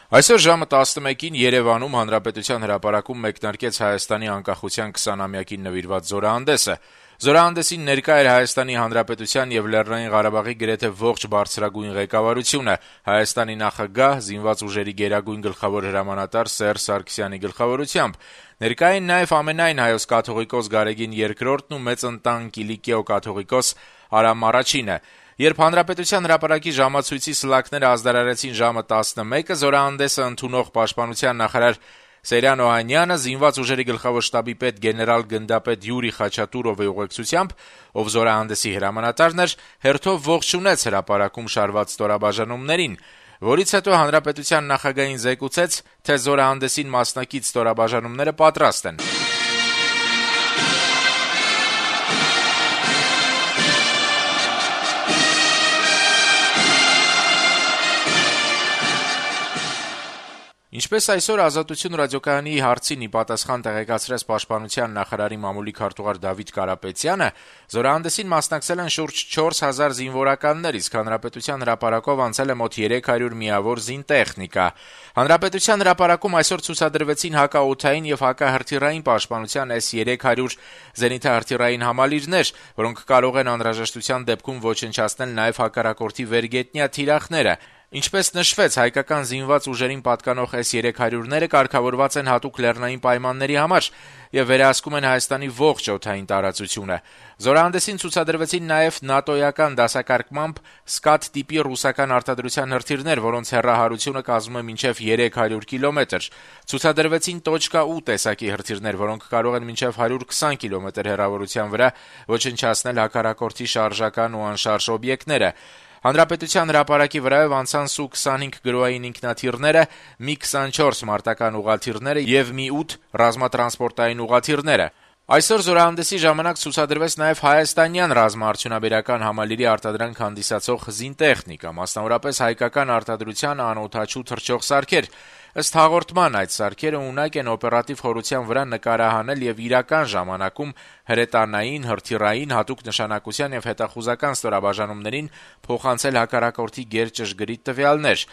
Այսօր ժամը 11-ին Երևանում Հանրապետության հրապարակում մեկնարկեց Հայաստանի անկախության 20-ամյակին նվիրված զորահանդեսը։ Զորահանդեսին ներկա էր Հայաստանի Հանրապետության եւ Լեռնային Ղարաբաղի գրեթե ողջ բարձրագույն ղեկավարությունը, Հայաստանի նախագահ, զինված ուժերի գերագույն գլխավոր հրամանատար Սերժ Սարգսյանի գլխավորությամբ։ Ներկա էին նաեւ ամենայն հայոց կաթողիկոս Գարեգին II-ն ու մեծ ընտան Կիլիկիո կաթողիկոս Արամ I-ը։ Երբ Հանրապետության հրապարակի ժամացույցի սլաքները ազդարարեցին ժամը 11-ը, զորահանդեսը ընդունող պաշտպանության նախարար Սերյան Օհանյանը զինված ուժերի գլխավոր շտաբի պետ գեներալ գնդապետ Յուրի Խաչատուրովի ուղեկցությամբ, ով զորահանդեսի հրամանատարն էր, հերթով ողջունեց հրապարակում շարված ստորաբաժանումներին, որից հետո Հանրապետության նախագահին զեկուցեց, թե զորահանդեսին մասնակից ստորաբաժանումները պատրաստ են։ Ինչպես այսօր «Ազատություն» ռադիոկայանի հարցին ի պատասխան տեղեկացրեց Պաշտպանության նախարարի մամուլի քարտուղար Դավիթ Կարապետյանը, զորահանդեսին մասնակցել են շուրջ 4000 զինվորականներ, իսկ Հանրապետության հրապարակով անցել է մոտ 300 միավոր զինտեխնիկա։ Հանրապետության հրապարակում այսօր ցուցադրվեցին հակաօդային եւ հակահրթիռային պաշտպանության S-300 զենիթահրթիռային համալիրներ, որոնք կարող են անհրաժեշտության դեպքում ոչնչացնել նաեւ հակառակորդի վերգետնյա թիրախները։ Ինչպես նշվեց, հայկական զինված ուժերին պատկանող S-300-ները կարգավորված են հատուկ լեռնային պայմանների համար եւ վերահսկում են Հայաստանի ողջ օդային տարածությունը։ Զորահանդեսին ցուցադրվեցին նաեւ նատոյական դասակարգմամբ «Սկադ» տիպի ռուսական արտադրության հրթիռներ, որոնց հեռահարությունը կազմում է մինչեւ 300 կիլոմետր։ Ցուցադրվեցին «8» տեսակի հրթիռներ, որոնք կարող են մինչեւ 120 կիլոմետր հեռավորության վրա ոչնչացնել հակառակորդի շարժական ու անշարժ օբյեկտները։ Հանրապետության հրապարակի վրայով անցան Su-25 գրոային ինքնաթիռները, Mi-24 մարտական ուղղաթիռները եւ Mi-8 ռազմատրանսպորտային ուղղաթիռները։ Այսօր զորահանդեսի ժամանակ ցուցադրվեց նաեւ հայաստանյան ռազմաարդյունաբերական համալիրի արտադրանք հանդիսացող զինտեխնիկա, մասնավորապես հայկական արտադրության անօդաչու թռչող սարքեր։ Ըստ հաղորդման, այդ սարքերը ունակ են օպերատիվ խորության վրա նկարահանել եւ իրական ժամանակում հրետանային, հրթիռային, հատուկ նշանակության եւ հետախուզական ստորաբաժանումներին փոխանցել հակառակորդի գերճշգրիտ տվյալներ։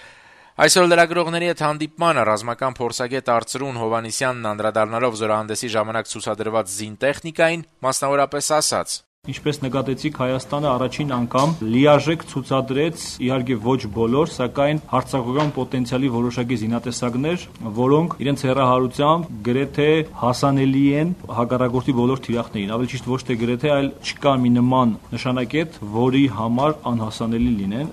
Այսօր լրագրողների հետ հանդիպմանը ռազմական փորձագետ Արծրուն Հովհաննիսյանն անդրադառնալով զորահանդեսի ժամանակ ցուցադրված զինտեխնիկային, մասնավորապես ասաց. Ինչպես նկատեցիք, Հայաստանը առաջին անգամ լիարժեք ցուցադրեց, իհարկե ոչ բոլոր, սակայն հարձակողական պոտենցիալի որոշակի զինատեսակներ, որոնք իրենց հեռահարությամբ գրեթե հասանելի են հակառակորդի բոլոր թիրախներին։ Ավելի ճիշտ ոչ թե գրեթե, այլ չկա մի նման նշանակետ, որի համար անհասանելի լինեն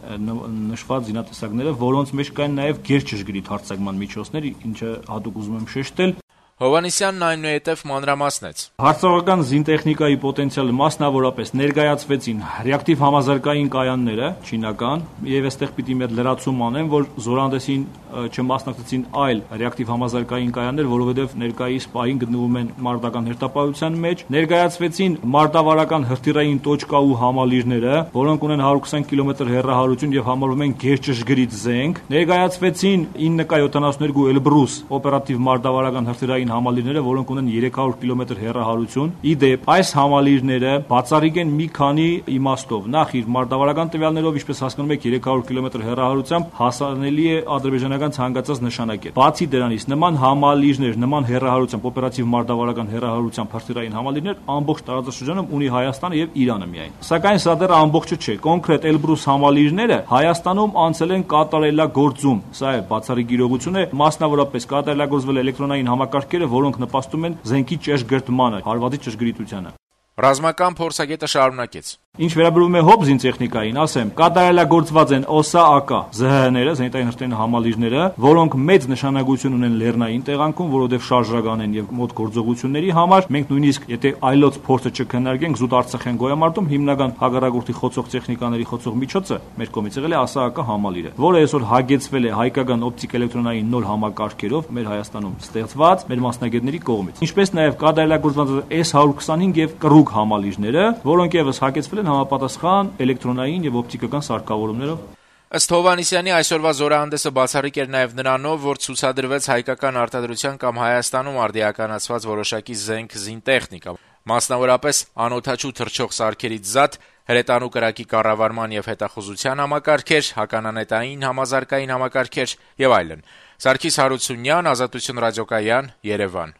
նշված զինատեսակները, որոնց մեջ կային նաև գերճշգրիտ հարձակման միջոցներ, ինչը հատուկ ուզում եմ շեշտել։ Հովհաննիսյանն այնուհետև մանրամասնեց. Հարձակողական զինտեխնիկայի պոտենցիալը մասնավորապես ներկայացվեցին ռեակտիվ համազարգային կայանները, չինական, եւ այստեղ պիտի մի հատ լրացում անեմ, որ զորահանդեսին չմասնակցեցին այլ ռեակտիվ համազարգային կայաններ, որովհետեւ ներկայիս պահին գտնվում են մարտական հերթապահության մեջ, ներկայացվեցին մարտավարական հրթիռային տոճկաու համալիրները, որոնք ունեն 120 կիլոմետր հեռահարություն եւ համարվում են գերճշգրիտ զենք, ներկայացվեցին 9K72 Էլբրուս օպերատիվ մարտավարական հրթիռային համալիրները, որոնք ունեն 300 կիլոմետր հեռահարություն։ Իդեպ այս համալիրները բացառիկ են մի քանի իմաստով։ Նախ իր մարտավարական տվյալներով, ինչպես հասկանում եք, 300 կիլոմետր հեռահարությամբ հասանելի է ադրբեջանական ցանկացած նշանակետ։ Բացի դրանից, նման համալիրներ, նման հեռահարությամբ, օպերատիվ մարտավարական հեռահարությամբ հրթիռային համալիրներ ամբողջ տարածաշրջանում ունի Հայաստանը եւ Իրանը միայն։ Սակայն սա դեռ ամբողջը չէ։ Կոնկրետ Էլբրուս համալիրները Հայաստանում անցել են կատարելագործում։ Սա է բացառիկ իրողություն է, մասնավորապես կատարելագործվել էլեկտրոնային համակարգերը, որոնք նպաստում են զենքի ճշգրտմանը, հարվածի ճշգրիտությանը։ Ռազմական փորձագետը շարունակեց. Ինչ վերաբերում է հոբ զինտեխնիկային, ասեմ, կատարելագործված են ՕՍԱ-ԱԿ ԶՀ-ները, զենիտային հրթիռային համալիրները, որոնք մեծ նշանակություն ունեն լեռնային տեղանքում, որովհետև շարժական են եւ մոտ գործողությունների համար։ Մենք նույնիսկ եթե այլոց փորձը չքննարկենք, զուտ Արցախյան գոյամարտում հիմնական հակառակորդի խոցող տեխնիկաների խոցող միջոցը մեր կողմից եղել է ՕՍԱ-ԱԿ համալիրը, որը այսօր հագեցվել է հայկական օպտիկ-էլեկտրոնային նոր համակարգերով մեր Հայաստանում ստեղծված մեր մասնագետների կողմից։ Ինչպես նաեւ կատարելագործված S-125 եւ կռուկ համալիրները, որոնք եւս հագեցվել են համապատասխան էլեկտրոնային եւ օպտիկական սարքավորումներով։ Ըստ Հովհաննիսյանի այսօրվա զորահանդեսը բացառիկ էր նաեւ նրանով, որ ցուցադրվեց հայկական արտադրության կամ Հայաստանում արդիականացված որոշակի զենք զինտեխնիկա, մասնավորապես անօդաչու թռչող սարքերից զատ, հրետանու կրակի կառավարման եւ հետախուզության համակարգեր, հականանետային համազարգային համակարգեր եւ այլն։ Սարգիս Հարությունյան, Ազատություն ռադիոկայան, Երևան։